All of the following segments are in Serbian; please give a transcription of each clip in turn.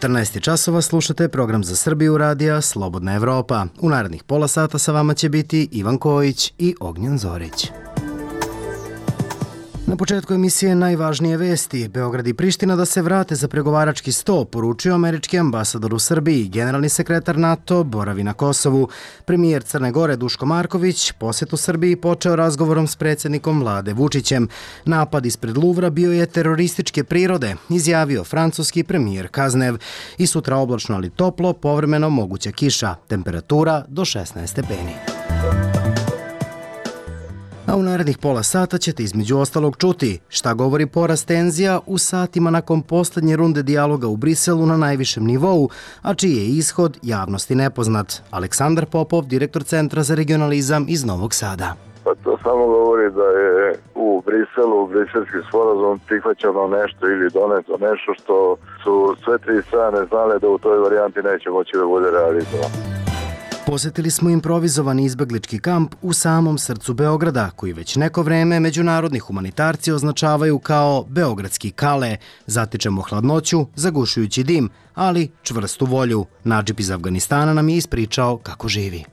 14 časova slušate program za Srbiju radija Slobodna Evropa. U narednih pola sata sa vama će biti Ivan Kojić i Ognjen Zorić. Na početku emisije najvažnije vesti. Beograd i Priština da se vrate za pregovarački sto, poručio američki ambasador u Srbiji. Generalni sekretar NATO boravi na Kosovu. Premijer Crne Gore Duško Marković posjet u Srbiji počeo razgovorom s predsjednikom vlade Vučićem. Napad ispred Luvra bio je terorističke prirode, izjavio francuski premijer Kaznev. I sutra oblačno ali toplo, povremeno moguća kiša. Temperatura do 16 stepeni. A u narednih pola sata ćete između ostalog čuti šta govori porast tenzija u satima nakon posljednje runde dijaloga u Briselu na najvišem nivou, a čiji je ishod javnosti nepoznat. Aleksandar Popov, direktor Centra za regionalizam iz Novog Sada. Pa to samo govori da je u Briselu, briselski sporazum prihvaćano nešto ili doneto nešto što su sve tri strane znale da u toj varijanti neće moći da bude realizovano. Posjetili smo improvizovani izbeglički kamp u samom srcu Beograda, koji već neko vreme međunarodni humanitarci označavaju kao beogradski Kale. Zatičemo hladnoću, zagušujući dim, ali čvrstu volju. Nadžip iz Afganistana nam je ispričao kako živi.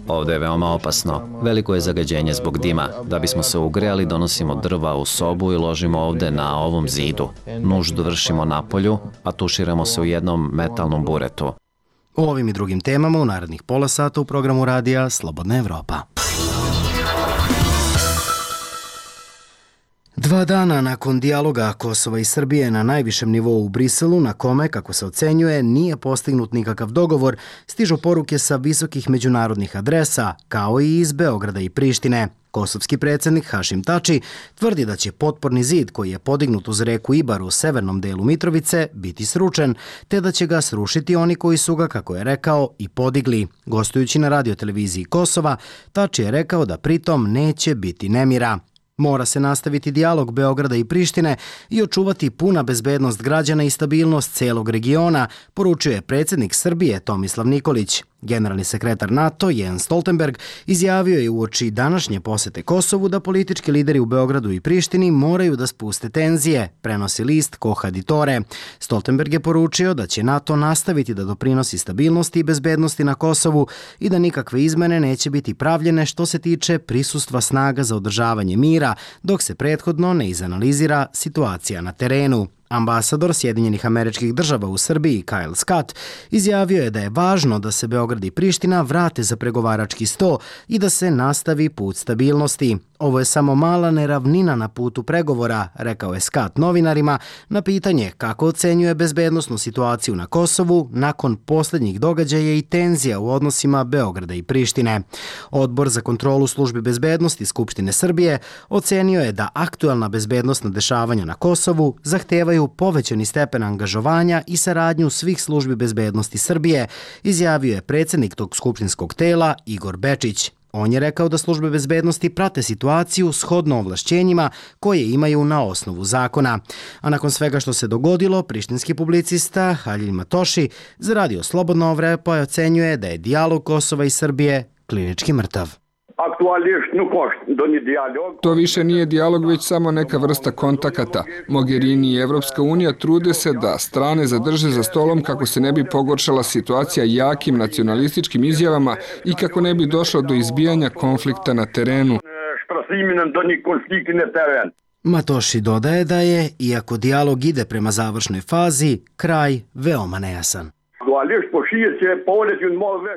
Ovdje je veoma opasno. Veliko je zagađenje zbog dima. Da bismo se ugrejali, donosimo drva u sobu i ložimo ovdje na ovom zidu. Nuždu vršimo napolju, a tuširamo se u jednom metalnom buretu. O ovim i drugim temama u narednih pola sata u programu radija Slobodna Evropa. 2 dana nakon dijaloga Kosova i Srbije na najvišem nivou u Briselu, na kome, kako se ocenjuje, nije postignut nikakav dogovor, stižu poruke sa visokih međunarodnih adresa, kao i iz Beograda i Prištine. Kosovski predsjednik Hašim Tači tvrdi da će potporni zid koji je podignut uz reku Ibar u severnom delu Mitrovice biti sručen, te da će ga srušiti oni koji su ga, kako je rekao, i podigli. Gostujući na radioteleviziji Kosova, Tači je rekao da pritom neće biti nemira. Mora se nastaviti dijalog Beograda i Prištine i očuvati puna bezbednost građana i stabilnost celog regiona, poručio je predsjednik Srbije Tomislav Nikolić. Generalni sekretar NATO Jens Stoltenberg izjavio je uoči današnje posete Kosovu da politički lideri u Beogradu i Prištini moraju da spuste tenzije, prenosi list Koha Ditore. Stoltenberg je poručio da će NATO nastaviti da doprinosi stabilnosti i bezbednosti na Kosovu i da nikakve izmene neće biti pravljene što se tiče prisustva snaga za održavanje mira, dok se prethodno ne izanalizira situacija na terenu. Ambasador Sjedinjenih Američkih Država u Srbiji, Kyle Scott, izjavio je da je važno da se Beograd i Priština vrate za pregovarački sto i da se nastavi put stabilnosti. Ovo je samo mala neravnina na putu pregovora, rekao je Scott novinarima na pitanje kako ocenjuje bezbednosnu situaciju na Kosovu nakon posljednjih događaja i tenzija u odnosima Beograda i Prištine. Odbor za kontrolu službi bezbednosti Skupštine Srbije ocenio je da aktuelna bezbednosna dešavanja na Kosovu zahtevaju povećani stepen angažovanja i saradnju svih službi bezbednosti Srbije, izjavio je predsjednik tog skupštinskog tela Igor Bečić. On je rekao da službe bezbednosti prate situaciju shodno ovlašćenjima koje imaju na osnovu zakona. A nakon svega što se dogodilo, prištinski publicista Halil Matoši za radio Slobodna Evropa ocenjuje da je dijalog Kosova i Srbije klinički mrtav. To više nije dijalog, već samo neka vrsta kontakata. Mogherini i Evropska unija trude se da strane zadrže za stolom kako se ne bi pogoršala situacija jakim nacionalističkim izjavama i kako ne bi došlo do izbijanja konflikta na terenu. Matoši dodaje da je, iako dijalog ide prema završnoj fazi, kraj veoma nejasan.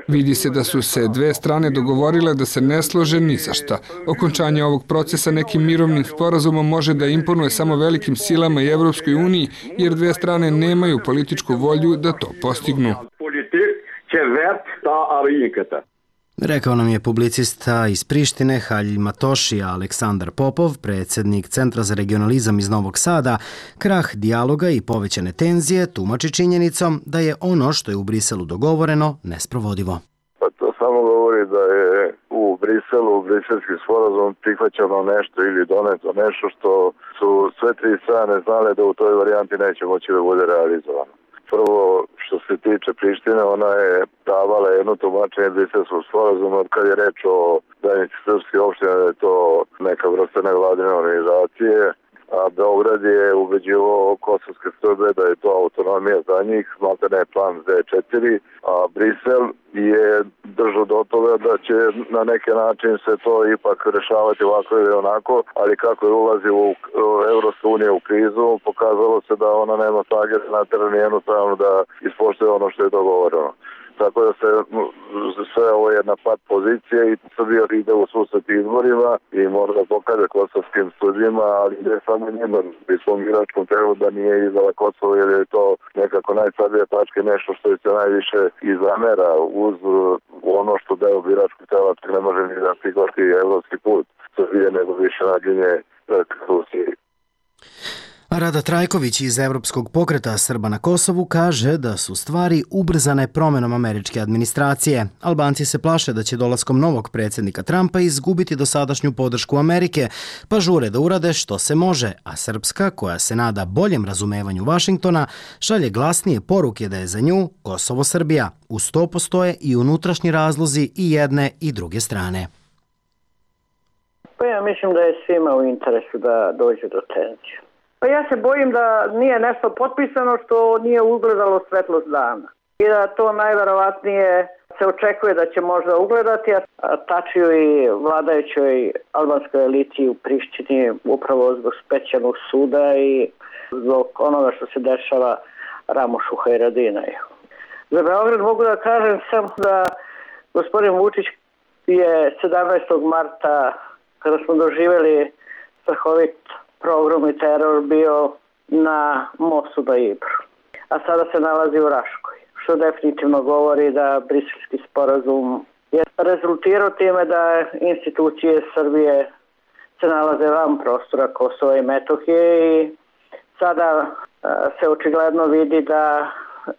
Vidi se da su se dve strane dogovorile da se ne slože ni za šta. Okončanje ovog procesa nekim mirovnim sporazumom može da imponuje samo velikim silama i Evropskoj uniji, jer dve strane nemaju političku volju da to postignu. Rekao nam je publicista iz Prištine Halil Matoši, Aleksandar Popov, predsjednik Centra za regionalizam iz Novog Sada, krah dijaloga i povećane tenzije tumači činjenicom da je ono što je u Briselu dogovoreno nesprovodivo. Pa to samo govori da je u Briselu, briselski sporazum prihvaćano nešto ili doneto nešto što su sve tri strane znale da u toj varijanti neće moći da bude realizovano. Prvo, što se tiče Prištine, ona je davala jedno tumačenje briselskog sporazuma kad je reč o zajednici srpske opštine, da je to neka vrsta nevladine organizacije, a Beograd je ubeđivao kosovske Srbe da je to autonomija za njih, maltene plan Z4, a Brisel je držao do toga da će na neki način se to ipak rešavati ovako ili onako, ali kako je ulazio u Evropska unija u krizu, pokazalo se da ona nema snage na terenu jednostavno da ispoštuje ono što je dogovoreno. Tako da se sve ovo je jedna pat pozicija i Srbija ide u susret izborima i mora da pokaže kosovskim Srbima, ali ne samo njima, pri svom biračkom telu da nije izdala Kosovo jer je to nekako najslabija tačka, nešto što se najviše izamera uz ono što deo biračkog tela ne može ni da prihvati evropski put Srbije, nego više naginje k Rusiji. Rada Trajković iz Evropskog pokreta Srba na Kosovu kaže da su stvari ubrzane promenom američke administracije. Albanci se plaše da će dolaskom novog predsjednika Trumpa izgubiti dosadašnju podršku Amerike, pa žure da urade što se može, a Srpska, koja se nada boljem razumevanju Vašingtona, šalje glasnije poruke da je za nju Kosovo Srbija. Uz to postoje i unutrašnji razlozi i jedne i druge strane. Pa ja mislim da je svima u interesu da dođe do tenzije. Pa ja se bojim da nije nešto potpisano što nije ugledalo svetlost dana. I da to najverovatnije se očekuje da će možda ugledati, a tačiju i vladajućoj albanskoj eliti u Prištini upravo zbog specijalnog suda i zbog onoga što se dešava Ramošu Hajradinaju. Za Beograd mogu da kažem samo da gospodin Vučić je 17. marta, kada smo doživjeli strahovit pogrom i teror, bio na mostu na Ibru, a sada se nalazi u Raškoj, što definitivno govori da Briselski sporazum je rezultirao time da institucije Srbije se nalaze van prostora Kosova i Metohije i sada se očigledno vidi da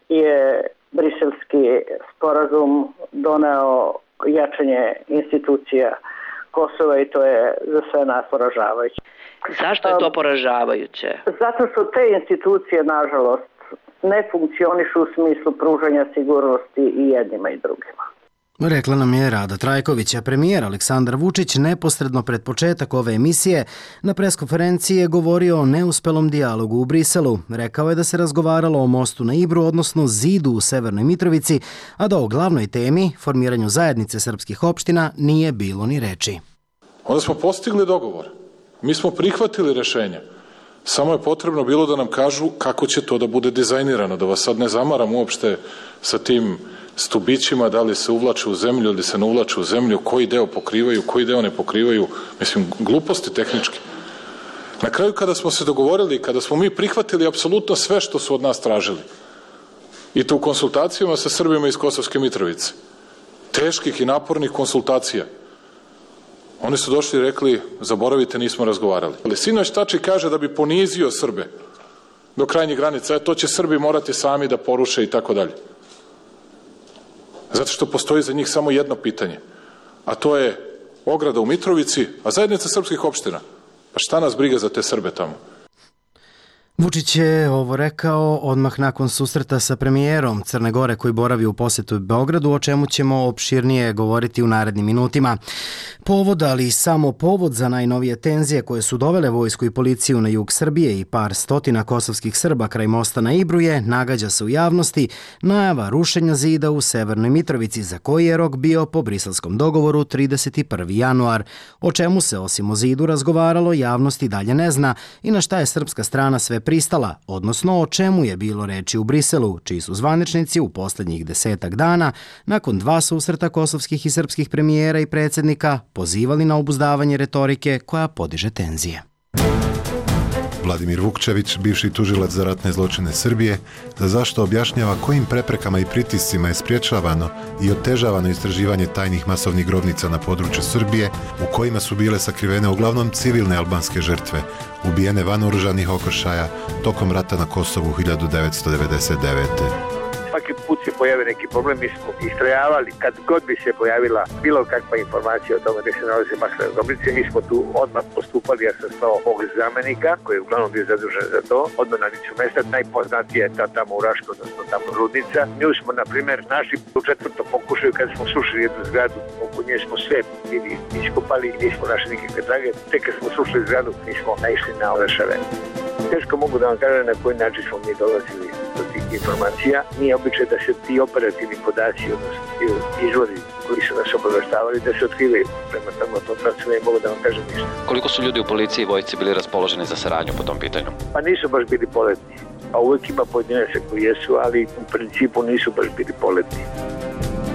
je Briselski sporazum doneo jačanje institucija Kosova i to je za sve nas poražavajuće. Zašto je to poražavajuće? Zato što te institucije, nažalost, ne funkcionišu u smislu pružanja sigurnosti i jednima i drugima. Rekla nam je Rada Trajković, a premijer Aleksandar Vučić neposredno pred početak ove emisije na preskonferenciji je govorio o neuspelom dijalogu u Briselu. Rekao je da se razgovaralo o mostu na Ibru, odnosno zidu u Severnoj Mitrovici, a da o glavnoj temi, formiranju zajednice srpskih opština, nije bilo ni reči. Onda smo postigli dogovor. Mi smo prihvatili rešenja. Samo je potrebno bilo da nam kažu kako će to da bude dizajnirano, da vas sad ne zamaram uopšte sa tim stubićima, da li se uvlače u zemlju ili se ne uvlače u zemlju, koji deo pokrivaju, koji deo ne pokrivaju, mislim, gluposti tehnički. Na kraju kada smo se dogovorili, kada smo mi prihvatili apsolutno sve što su od nas tražili, i to u konsultacijama sa Srbima iz Kosovske Mitrovice, teških i napornih konsultacija, oni su došli i rekli, zaboravite, nismo razgovarali. Ali sinoć Tači kaže da bi ponizio Srbe do krajnjih granica, to će Srbi morati sami da poruše i tako dalje. Zato što postoji za njih samo jedno pitanje, a to je ograda u Mitrovici, a zajednica srpskih opština. Pa šta nas briga za te Srbe tamo? Vučić je ovo rekao odmah nakon susreta sa premijerom Crne Gore koji boravi u posetu Beogradu, o čemu ćemo opširnije govoriti u narednim minutima. Povod, ali samo povod za najnovije tenzije koje su dovele vojsku i policiju na jug Srbije i par stotina kosovskih Srba kraj mosta na Ibru je, nagađa se u javnosti, najava rušenja zida u Severnoj Mitrovici, za koji je rok bio po briselskom dogovoru 31. januar. O čemu se osim o zidu razgovaralo, javnost i dalje ne zna i na šta je srpska strana sve pristala, odnosno o čemu je bilo reči u Briselu, čiji su zvaničnici u posljednjih 10 dana, nakon 2 susreta kosovskih i srpskih premijera i predsjednika, pozivali na obuzdavanje retorike koja podiže tenzije. Vladimir Vukčević, bivši tužilac za ratne zločine Srbije, za zašto objašnjava kojim preprekama i pritiscima je spriječavano i otežavano istraživanje tajnih masovnih grobnica na području Srbije, u kojima su bile sakrivene uglavnom civilne albanske žrtve, ubijene van oružanih okršaja tokom rata na Kosovu 1999. Svaki put se pojavi neki problem, mi smo istrajavali kad god bi se pojavila bilo kakva informacija o tome gde se nalaze masovne grobnice, mi smo tu odmah postupali. Ja sam slao mog zamenika koji je uglavnom bio zadužen za to, odmah na licu mesta. Najpoznatija je ta tamo u Raškoj, odnosno tamo Rudnica. Nju smo, na primjer, našli u 4. pokušaju kad smo srušili jednu zgradu, oko nje smo sve bili iskopali i nismo našli nikakve trage. Tek kad smo srušili zgradu, mi smo naišli na orešave. Teško mogu da vam kažem na koji način smo mi dolazili do tih informacija. Nije običaj da se ti operativni podaci, odnosno ti izvori koji su nas obaveštavali, da se otkrivaju. Prema tamo tom pravcu ne mogu da vam kažem ništa. Koliko su ljudi u policiji i vojsci bili raspoloženi za saradnju po tom pitanju? Pa nisu baš bili poletni. A uvek ima pojedinaca koji jesu, ali u principu nisu baš bili poletni.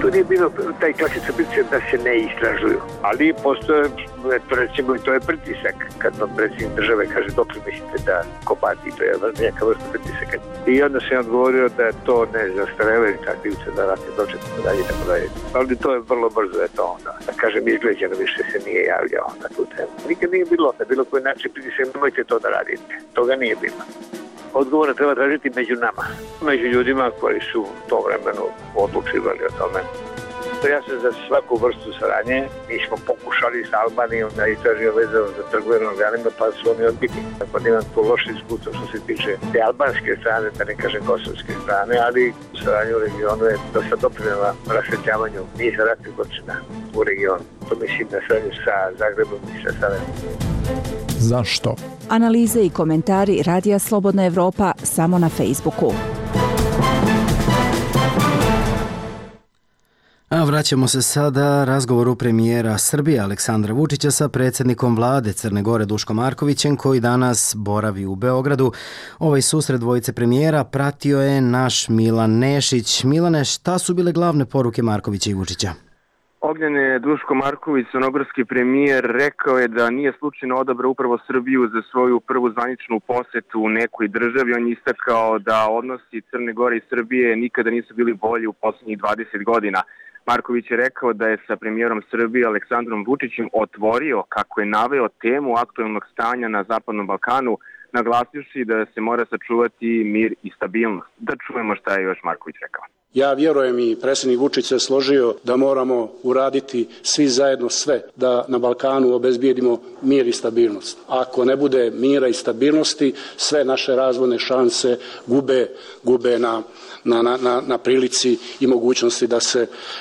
Tu nije bilo taj klasičan pritisak da se ne istražuju, ali postoje, recimo, to je pritisak kad vam predsjednik države kaže dok mislite da kopati, to je neka vrsta pritisaka. I onda sam odgovorio da je to ne zastarevaju takvivce da ratne doče, tako dalje. Ali to je vrlo brzo, je to onda. Da kažem, izgleđeno više se nije javljao na tu temu. Nikad nije bilo na bilo koji način pritisak, nemojte to da radite. Toga nije bilo. Odgovore treba tražiti među nama, među ljudima koji su u tom vremenu odlučivali o tome. Ja sam za svaku vrstu saradnje, mi smo pokušali s Albanijom da istražimo vezano za trgovinu organima, pa su oni odbili. Tako da imam to loše iskustvo što se tiče te albanske strane, da ne kažem kosovske strane, ali saradnje u regionu je dosta doprinela rasvetljavanju niza ratnih zločina u regionu. To mislim na saradnju sa Zagrebom i sa Sarajevom. Zašto? Analize i komentari Radija Slobodna Evropa samo na Facebooku. A vraćamo se sada razgovoru premijera Srbije Aleksandra Vučića sa predsjednikom vlade Crne Gore Duškom Markovićem koji danas boravi u Beogradu. Ovaj susret dvojice premijera pratio je naš Milan Nešić. Milane, šta su bile glavne poruke Markovića i Vučića? Ognjen Duško Marković, crnogorski premijer, rekao je da nije slučajno odabrao upravo Srbiju za svoju prvu zvaničnu posetu u nekoj državi. On je istakao da odnosi Crne Gore i Srbije nikada nisu bili bolji u poslednjih 20 godina. Marković je rekao da je sa premijerom Srbije Aleksandrom Vučićem otvorio, kako je naveo, temu aktuelnog stanja na Zapadnom Balkanu, naglasivši da se mora sačuvati mir i stabilnost. Da čujemo šta je još Marković rekao. Ja vjerujem i predsjednik Vučić se složio da moramo uraditi svi zajedno sve da na Balkanu obezbijedimo mir i stabilnost. Ako ne bude mira i stabilnosti, sve naše razvojne šanse gube na prilici i mogućnosti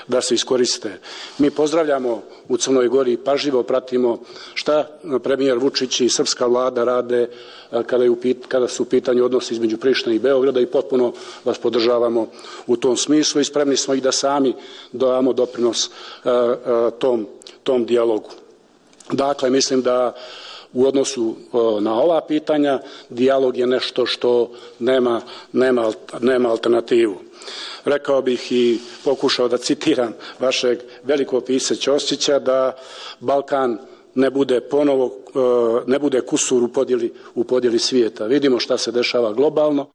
da se iskoriste. Mi pozdravljamo u Crnoj Gori, pažljivo pratimo šta premijer Vučić i srpska vlada rade kada su u pitanju odnosi između Prištine i Beograda i potpuno vas podržavamo u tom smislu i spremni smo i da sami damo doprinos tom dijalogu. Dakle, mislim da u odnosu na ova pitanja dijalog je nešto što nema alternativu. Rekao bih i pokušao da citiram vašeg velikog pisca Ćosića da Balkan ne bude kusur u podjeli svijeta. Vidimo šta se dešava globalno.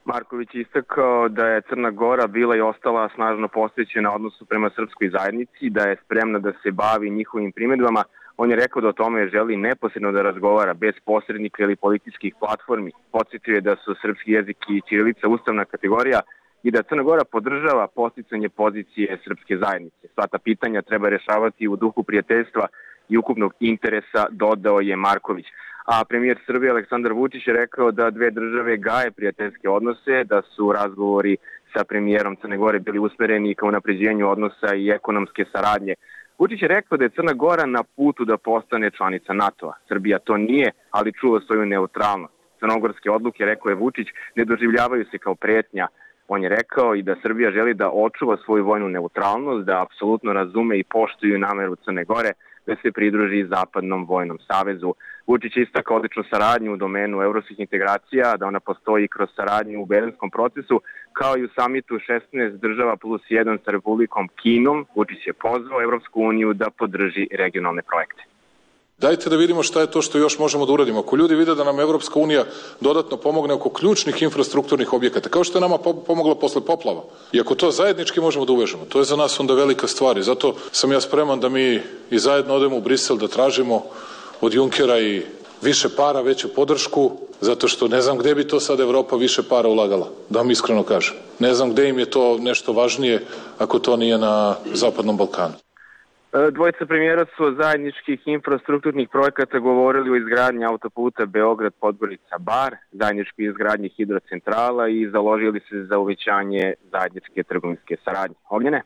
Marković je istakao da je Crna Gora bila i ostala snažno posvećena odnosu prema srpskoj zajednici, da je spremna da se bavi njihovim primjedbama. On je rekao da o tome želi neposredno da razgovara bez posrednika ili političkih platformi. Podsjetio je da su srpski jezik i ćirilica ustavna kategorija i da Crna Gora podržava posticanje pozicije srpske zajednice. Sva ta pitanja treba rešavati u duhu prijateljstva i ukupnog interesa, dodao je Marković. A premijer Srbije Aleksandar Vučić je rekao da dve države gaje prijateljske odnose, da su razgovori sa premijerom Crne Gore bili usmereni ka unapređenju odnosa i ekonomske saradnje. Vučić je rekao da je Crna Gora na putu da postane članica NATO-a. Srbija to nije, ali čuva svoju neutralnost. Crnogorske odluke, rekao je Vučić, ne doživljavaju se kao pretnja. On je rekao i da Srbija želi da očuva svoju vojnu neutralnost, da apsolutno razume i poštuju nameru Crne Gore da se pridruži Zapadnom vojnom savezu. Vučić je istakao odličnu saradnju u domenu evropskih integracija, da ona postoji kroz saradnju u berlinskom procesu, kao i u samitu 16 država plus 1 sa Republikom Kinom. Vučić je pozvao Evropsku uniju da podrži regionalne projekte. Dajte da vidimo šta je to što još možemo da uradimo. Ako ljudi vide da nam Evropska unija dodatno pomogne oko ključnih infrastrukturnih objekata, kao što je nama pomoglo posle poplava, i ako to zajednički možemo da uvežemo, to je za nas onda velika stvar. I zato sam ja spreman da mi i zajedno odemo u Brisel da tražimo od Junkera i više para, veću podršku, zato što ne znam gde bi to sad Evropa više para ulagala, da vam iskreno kažem. Ne znam gde im je to nešto važnije ako to nije na Zapadnom Balkanu. Dvojica premijera su o zajedničkih infrastrukturnih projekata govorili o izgradnji autoputa Beograd-Podgorica-Bar, zajedničkoj izgradnji hidrocentrala i založili se za uvećanje zajedničke trgovinske saradnje. Ognjene?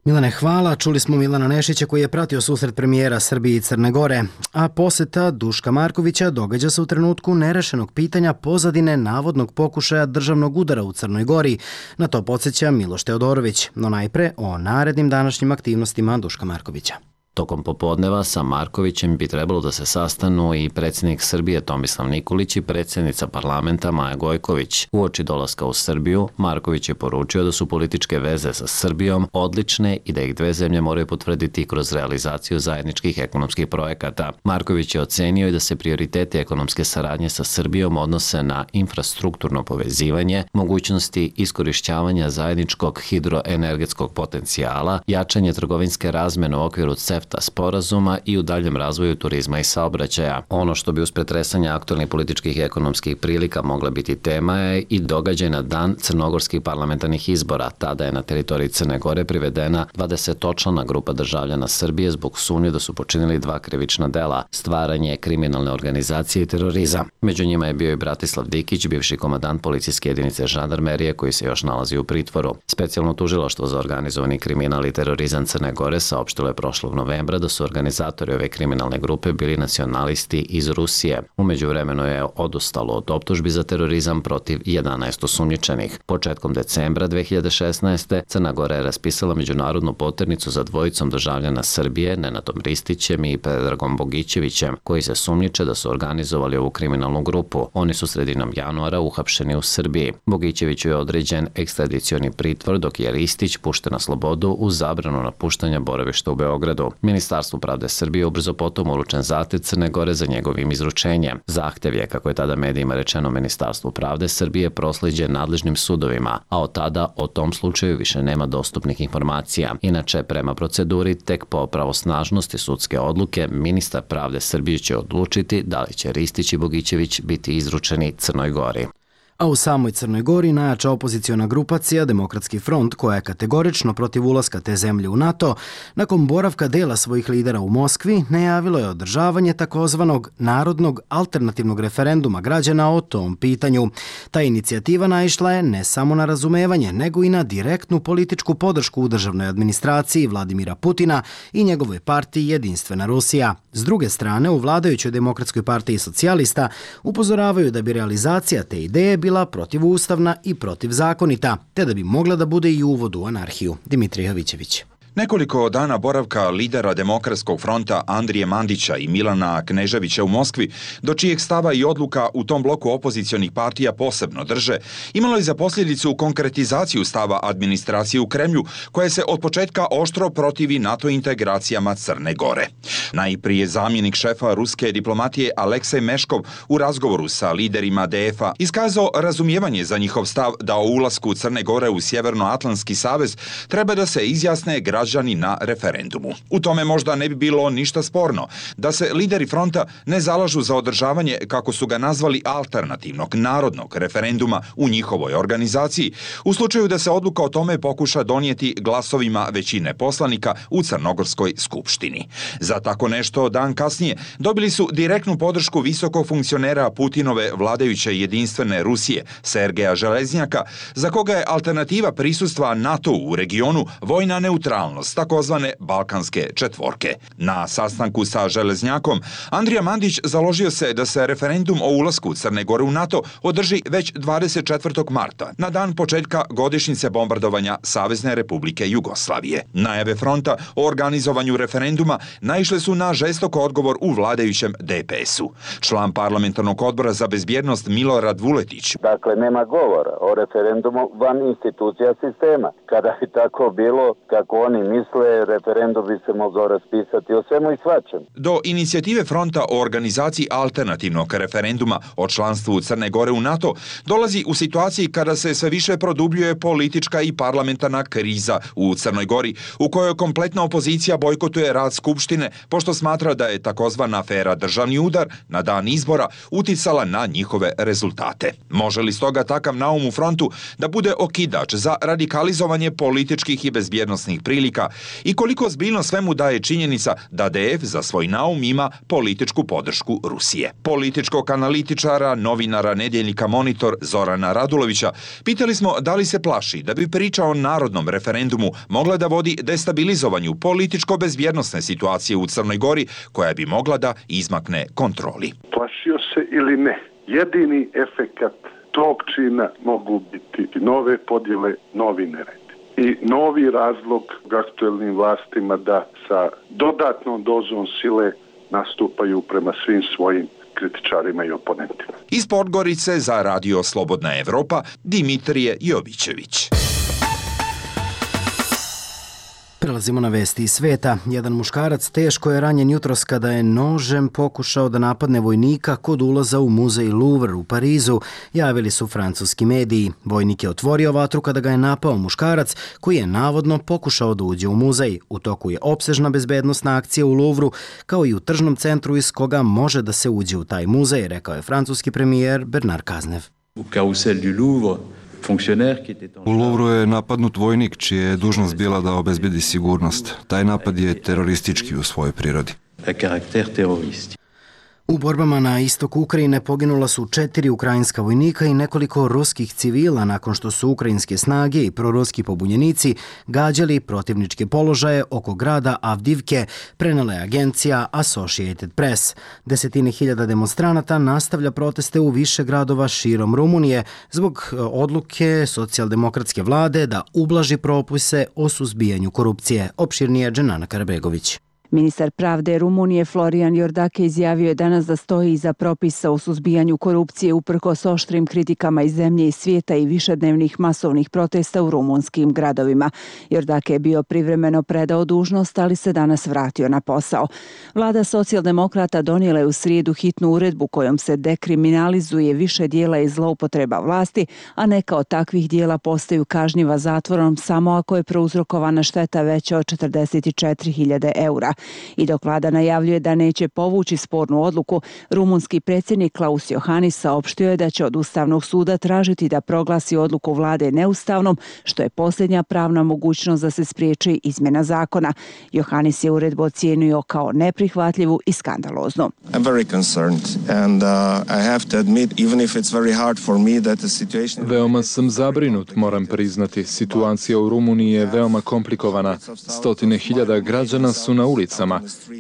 Milane, hvala. Čuli smo Milana Nešića koji je pratio susret premijera Srbije i Crne Gore, a poseta Duška Markovića događa se u trenutku nerešenog pitanja pozadine navodnog pokušaja državnog udara u Crnoj Gori. Na to podsjeća Miloš Teodorović, no najpre o narednim današnjim aktivnostima Duška Markovića. Tokom popodneva sa Markovićem bi trebalo da se sastanu i predsjednik Srbije Tomislav Nikolić i predsjednica parlamenta Maja Gojković. Uoči dolaska u Srbiju, Marković je poručio da su političke veze sa Srbijom odlične i da ih dve zemlje moraju potvrditi kroz realizaciju zajedničkih ekonomskih projekata. Marković je ocenio i da se prioriteti ekonomske saradnje sa Srbijom odnose na infrastrukturno povezivanje, mogućnosti iskorišćavanja zajedničkog hidroenergetskog potencijala, jačanje trgovinske razmene u okviru CEFTA sporazuma i u daljem razvoju turizma i saobraćaja. Ono što bi uz pretresanje aktualnih političkih i ekonomskih prilika mogla biti tema je i događaj na dan crnogorskih parlamentarnih izbora. Tada je na teritoriji Crne Gore privedena 20-člana grupa državljana Srbije zbog sumnje da su počinili dva krivična dela, stvaranje kriminalne organizacije i terorizam. Među njima je bio i Bratislav Dikić, bivši komandant policijske jedinice žandarmerije koji se još nalazi u pritvoru. Specijalno tužilaštvo za organizovani kriminal i terorizam Crne Gore saopštilo je prošlog novembra da su organizatori ove kriminalne grupe bili nacionalisti iz Rusije. U međuvremenu je odustalo od optužbi za terorizam protiv 11 osumnjičenih. Početkom decembra 2016. Crna Gora je raspisala međunarodnu poternicu za dvojicom državljana Srbije, Nenadom Ristićem i Predragom Bogićevićem, koji se sumnjiče da su organizovali ovu kriminalnu grupu. Oni su sredinom januara uhapšeni u Srbiji. Bogićeviću je određen ekstradicioni pritvor, dok je Ristić pušten na slobodu uz zabranu napuštanja boravišta u Beogradu. Ministarstvu pravde Srbije ubrzo potom uručen zahtev Crne Gore za njegovim izručenjem. Zahtev je, kako je tada medijima rečeno Ministarstvu pravde Srbije, proslijeđen nadležnim sudovima, a od tada o tom slučaju više nema dostupnih informacija. Inače, prema proceduri, tek po pravosnažnosti sudske odluke, ministar pravde Srbije će odlučiti da li će Ristić i Bogićević biti izručeni Crnoj Gori. A u samoj Crnoj Gori najjača opoziciona grupacija Demokratski front, koja je kategorično protiv ulaska te zemlje u NATO, nakon boravka dela svojih lidera u Moskvi, najavilo je održavanje takozvanog narodnog alternativnog referenduma građana o tom pitanju. Ta inicijativa naišla je ne samo na razumevanje, nego i na direktnu političku podršku u državnoj administraciji Vladimira Putina i njegovoj partiji Jedinstvena Rusija. S druge strane, u vladajućoj Demokratskoj partiji socijalista upozoravaju da bi realizacija te ideje bila protivustavna i protivzakonita, te da bi mogla da bude i uvod u anarhiju. Dimitrij Jovićević. Nekoliko dana boravka lidera Demokratskog fronta Andrije Mandića i Milana Kneževića u Moskvi, do čijeg stava i odluka u tom bloku opozicionih partija posebno drže, imalo je za posljedicu konkretizaciju stava administracije u Kremlju, koja se od početka oštro protivi NATO integracijama Crne Gore. Najprije zamjenik šefa ruske diplomatije Aleksej Meškov u razgovoru sa liderima DF-a iskazao razumijevanje za njihov stav da o ulasku Crne Gore u Sjevernoatlantski savez treba da se izjasne građani na referendumu. U tome možda ne bi bilo ništa sporno da se lideri fronta ne zalažu za održavanje, kako su ga nazvali, alternativnog narodnog referenduma u njihovoj organizaciji, u slučaju da se odluka o tome pokuša donijeti glasovima većine poslanika u Crnogorskoj skupštini. Za tako nešto dan kasnije dobili su direktnu podršku visokog funkcionera Putinove vladajuće Jedinstvene Rusije, Sergeja Železnjaka, za koga je alternativa prisustva NATO u regionu vojna neutralnost, takozvane Balkanske četvorke. Na sastanku sa Železnjakom, Andrija Mandić založio se da se referendum o ulasku Crne Gore u NATO održi već 24. marta, na dan početka godišnjice bombardovanja Savezne Republike Jugoslavije. Najave fronta o organizovanju referenduma naišle su na žestok odgovor u vladajućem DPS-u. Član parlamentarnog odbora za bezbjednost Milorad Vuletić. Dakle, nema govora o referendumu van institucija sistema. Kada bi tako bilo, kako oni oni misle, referendum bi se mogao raspisati o svemu i svačemu. Do inicijative fronta o organizaciji alternativnog referenduma o članstvu Crne Gore u NATO dolazi u situaciji kada se sve više produbljuje politička i parlamentarna kriza u Crnoj Gori, u kojoj kompletna opozicija bojkotuje rad Skupštine, pošto smatra da je takozvana afera Državni udar na dan izbora uticala na njihove rezultate. Može li stoga takav naum u frontu da bude okidač za radikalizovanje političkih i bezbjednosnih prilika i koliko ozbiljno svemu daje činjenica da DF za svoj naum ima političku podršku Rusije? Političkog analitičara, novinara nedjeljnika Monitor Zorana Radulovića pitali smo da li se plaši da bi priča o narodnom referendumu mogla da vodi destabilizovanju političko-bezbjednosne situacije u Crnoj Gori, koja bi mogla da izmakne kontroli. Plašio se ili ne, jedini efekat tog čina mogu biti nove podjele, novi nered i novi razlog aktuelnim vlastima da sa dodatnom dozom sile nastupaju prema svim svojim kritičarima i oponentima. Iz Podgorice za Radio Slobodna Evropa, Dimitrije Jovićević. Prelazimo na vesti iz sveta. Jedan muškarac teško je ranjen jutros kada je nožem pokušao da napadne vojnika kod ulaza u muzej Louvre u Parizu, javili su francuski mediji. Vojnik je otvorio vatru kada ga je napao muškarac koji je navodno pokušao da uđe u muzej. U toku je opsežna bezbednosna akcija u Louvru, kao i u tržnom centru iz koga može da se uđe u taj muzej, rekao je francuski premijer Bernard Cazeneuve. U Carrousel du Louvre, u Louvru je napadnut vojnik čija je dužnost bila da obezbedi sigurnost. Taj napad je teroristički u svojoj prirodi. U borbama na istoku Ukrajine poginula su 4 ukrajinska vojnika i nekoliko ruskih civila nakon što su ukrajinske snage i proruski pobunjenici gađali protivničke položaje oko grada Avdivke, prenela je agencija Associated Press. Desetine hiljada demonstranata nastavlja proteste u više gradova širom Rumunije zbog odluke socijaldemokratske vlade da ublaži propise o suzbijanju korupcije. Opširnije Dženana Karabegović. Ministar pravde Rumunije Florian Iordache izjavio je danas da stoji iza propisa o suzbijanju korupcije uprkos oštrim kritikama iz zemlje i svijeta i višednevnih masovnih protesta u rumunskim gradovima. Iordache je bio privremeno predao dužnost, ali se danas vratio na posao. Vlada socijaldemokrata donijela je u srijedu hitnu uredbu kojom se dekriminalizuje više dijela i zloupotreba vlasti, a neka od takvih dijela postaju kažnjiva zatvorom samo ako je prouzrokovana šteta veća od 44.000 eura. I dok vlada najavljuje da neće povući spornu odluku, rumunski predsjednik Klaus Iohannis saopštio je da će od Ustavnog suda tražiti da proglasi odluku vlade neustavnom, što je posljednja pravna mogućnost da se spriječi izmjena zakona. Iohannis je uredbu ocijenio kao neprihvatljivu i skandaloznu. Veoma sam zabrinut, moram priznati. Situacija u Rumuniji je veoma komplikovana. Stotine hiljada građana su na ulicama.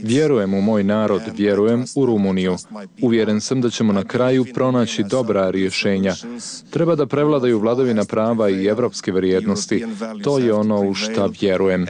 Vjerujem u moj narod, vjerujem u Rumuniju. Uvjeren sam da ćemo na kraju pronaći dobra rješenja. Treba da prevladaju vladavina prava i evropske vrijednosti. To je ono u šta vjerujem.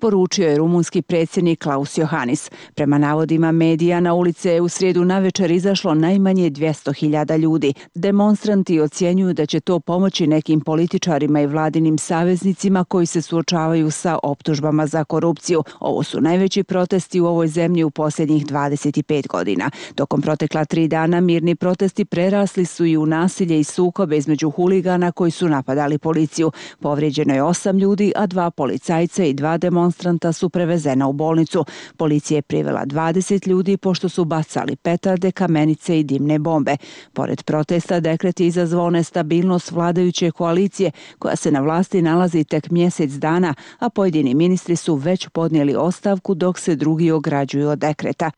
Poručio je rumunski predsjednik Klaus Iohannis. Prema navodima medija, na ulice je u srijedu navečer izašlo najmanje 200.000 ljudi. Demonstranti ocjenjuju da će to pomoći nekim političarima i vladinim saveznicima koji se suočavaju sa optužbama za korupciju. Ovo su najveći protesti u ovoj zemlji u posljednjih 25 godina. Tokom protekla 3 dana mirni protesti prerasli su i u nasilje i sukobe između huligana koji su napadali policiju. Povrijeđeno je 8 ljudi, a 2 policajca i 2 demonstranta su prevezena u bolnicu. Policija je privela 20 ljudi pošto su bacali petarde, kamenice i dimne bombe. Pored protesta, dekret je izazvao nestabilnost vladajuće koalicije koja se na vlasti nalazi tek mjesec dana, a pojedini ministri su već podnijeli ostavku dok se drugi ograđuju od dekreta.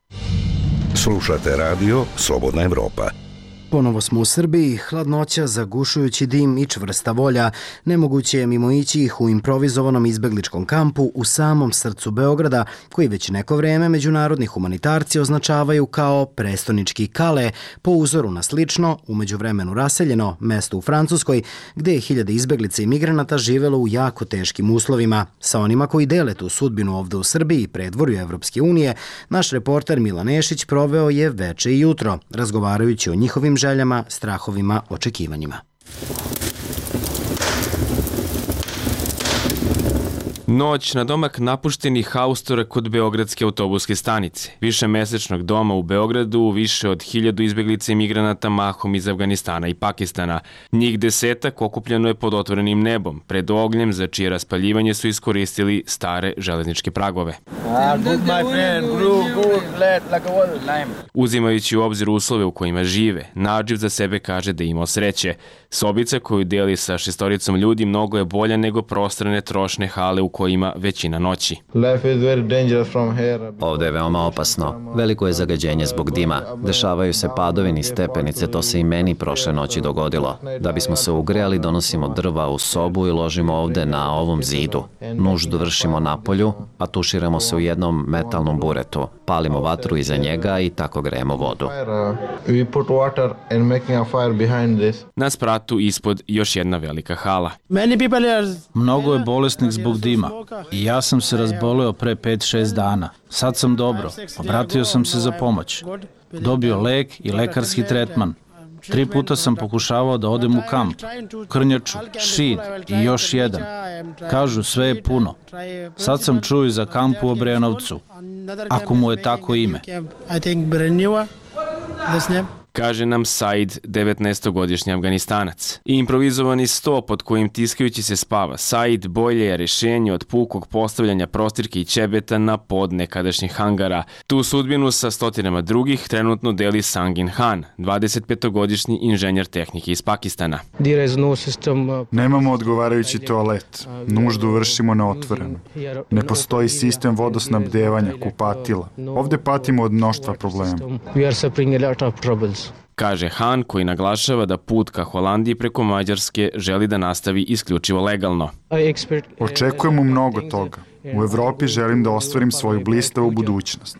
Slušate radio Slobodna Evropa. Ponovo smo u Srbiji, hladnoća, zagušujući dim i čvrsta volja. Nemoguće je mimoići ih u improvizovanom izbegličkom kampu u samom srcu Beograda, koji već neko vreme međunarodni humanitarci označavaju kao prestonički Kale, po uzoru na slično, u međuvremenu raseljeno, mesto u Francuskoj, gde je hiljade izbeglica i migranata živelo u jako teškim uslovima. Sa onima koji dele tu sudbinu ovde u Srbiji, predvorju Evropske unije, naš reporter Milan Nešić proveo je veče i jutro, razgovarajući o njihovim željama, strahovima, očekivanjima. Noć na domak napuštenih haustora kod Beogradske autobuske stanice. Višemesečnog doma u Beogradu, više od 1000 izbeglica i migranata mahom iz Afganistana i Pakistana. Njih 10 okupljeno je pod otvorenim nebom, pred ognjem za čije raspaljivanje su iskoristili stare železničke pragove. Uzimajući u obzir uslove u kojima žive, Nadživ za sebe kaže da je imao sreće. Sobica koju deli sa 6 ljudi mnogo je bolja nego prostrane trošne hale u kojima većina noći. Ovde je veoma opasno. Veliko je zagađenje zbog dima. Dešavaju se padovi niz stepenice, to se i meni prošle noći dogodilo. Da bismo se ugrejali, donosimo drva u sobu i ložimo ovde na ovom zidu. Nuždu vršimo napolju, a tuširamo se u jednom metalnom buretu. Palimo vatru iza njega i tako grejemo vodu. Na spratu ispod još jedna velika hala. Mnogo je bolesnih zbog dima i ja sam se razboleo pre 5-6 dana. Sad sam dobro. Obratio sam se za pomoć. Dobio lek i lekarski tretman. 3 puta sam pokušavao da odem u kamp, Krnjaču, Šid i još jedan. Kažu sve je puno. Sad sam čuo za kamp u Obrenovcu, ako mu je tako ime. Kaže nam Said, 19-godišnji Afganistanac. I improvizovani sto pod kojim tiskajući se spava Said bolje je rešenje od pukog postavljanja prostirke i ćebeta na pod nekadašnjih hangara. Tu sudbinu sa stotinama drugih trenutno deli Sangin Han, 25-godišnji inženjer tehnike iz Pakistana. Nemamo odgovarajući toalet. Nuždu vršimo na otvorenu. Ne postoji sistem vodosnabdevanja, kupatila. Ovde patimo od mnoštva problema. Kaže Han, koji naglašava da put ka Holandiji preko Mađarske želi da nastavi isključivo legalno. Očekujemo mnogo toga. U Evropi želim da ostvarim svoju blistavu budućnost.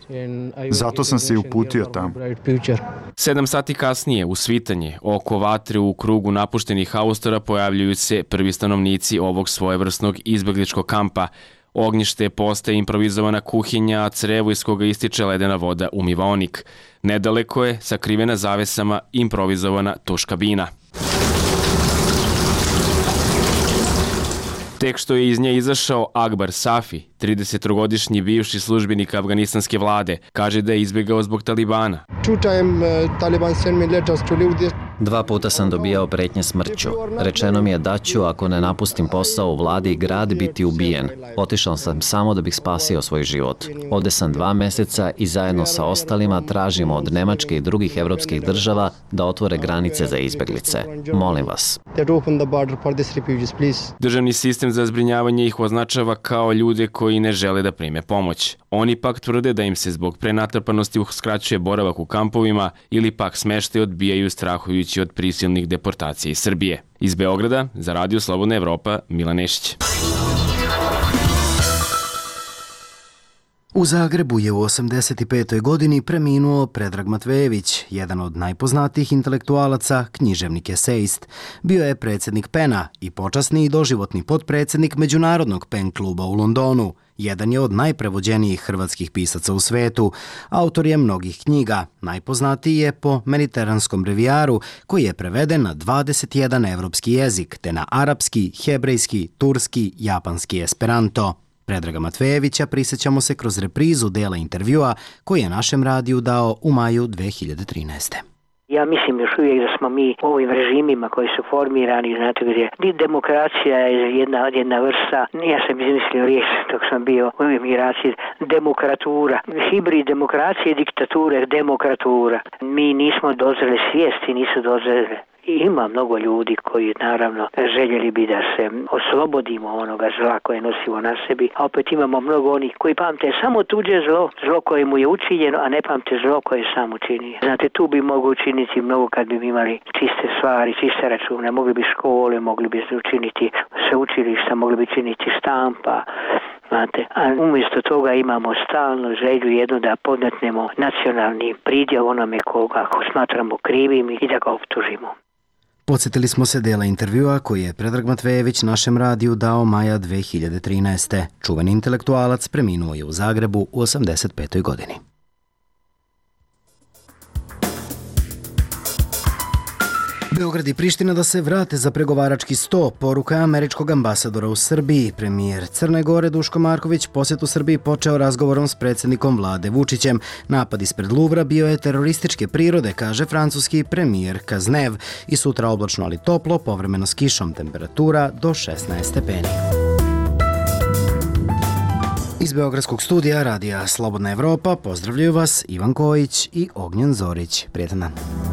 Zato sam se i uputio tamo. 7 sati kasnije, u svitanje, oko vatre u krugu napuštenih haustora pojavljuju se prvi stanovnici ovog svojevrsnog izbegličkog kampa. Ognjište postaje improvizovana kuhinja, a crevo iz koga ističe ledena voda umivaonik. Nedaleko je, sakrivena zavesama, improvizovana tuš kabina. Tek što je iz nje izašao Akbar Safi, 30-godišnji bivši službenik afganistanske vlade, kaže da je izbjegao zbog Talibana. 2 puta sam dobijao pretnje smrću. Rečeno mi je da ću, ako ne napustim posao u vladi i grad, biti ubijen. Otišao sam samo da bih spasio svoj život. Ovde sam 2 meseca i zajedno sa ostalima tražimo od Nemačke i drugih evropskih država da otvore granice za izbeglice. Molim vas. Državni sistem za zbrinjavanje ih označava kao ljude koji ne žele da prime pomoć. Oni pak tvrde da im se zbog prenatrpanosti uskraćuje boravak u kampovima ili pak smeštaj odbijaju strahujući od prisilnih deportacija iz Srbije. Iz Beograda, za Radio Slobodna Evropa, Milan Nešić. U Zagrebu je u 85. godini preminuo Predrag Matvejević, jedan od najpoznatijih intelektualaca, književnik esejist. Bio je predsjednik PEN-a i počasni i doživotni potpredsjednik Međunarodnog PEN kluba u Londonu. Jedan je od najprevođenijih hrvatskih pisaca u svetu. Autor je mnogih knjiga. Najpoznatiji je po Mediteranskom brevijaru, koji je preveden na 21 evropski jezik, te na arapski, hebrejski, turski, japanski i esperanto. Predraga Matvejevića prisjećamo se kroz reprizu dela intervjua koji je našem radiju dao u maju 2013. Ja mislim još uvijek da smo mi u ovim režimima koji su formirani, znate gdje demokracija je jedna vrsta, ja sam izmislio riječ dok sam bio u emigraciji, demokratura, hibrid demokracije, diktature, demokratura. Mi nismo dozreli, svijesti nisu dozreli. Ima mnogo ljudi koji naravno željeli bi da se oslobodimo onoga zla koje nosimo na sebi, a opet imamo mnogo onih koji pamte samo tuđe zlo koje mu je učinjeno, a ne pamte zlo koje je sam učinio. Znate, tu bi mogu učiniti mnogo kad bi imali čiste stvari, čiste račune, mogli bi škole, mogli bi učiniti sveučilišta, mogli bi činiti štampa. Znate, a umjesto toga imamo stalno želju jednu da podmetnemo nacionalni pridjev onome koga smatramo krivim i da ga optužimo. Podsjetili smo se dela intervjua koji je Predrag Matvejević našem radiju dao maja 2013. Čuveni intelektualac preminuo je u Zagrebu u 85. godini. Beograd i Priština da se vrate za pregovarački sto, poruka američkog ambasadora u Srbiji. Premijer Crne Gore Duško Marković posjet u Srbiji počeo razgovorom s predsjednikom vlade Vučićem. Napad ispred Luvra bio je terorističke prirode, kaže francuski premijer Kaznev. I sutra oblačno ali toplo, povremeno s kišom, temperatura do 16 stepeni. Iz Beogradskog studija radija Slobodna Evropa pozdravljaju vas Ivan Kojić i Ognjen Zorić. Prijetan dan.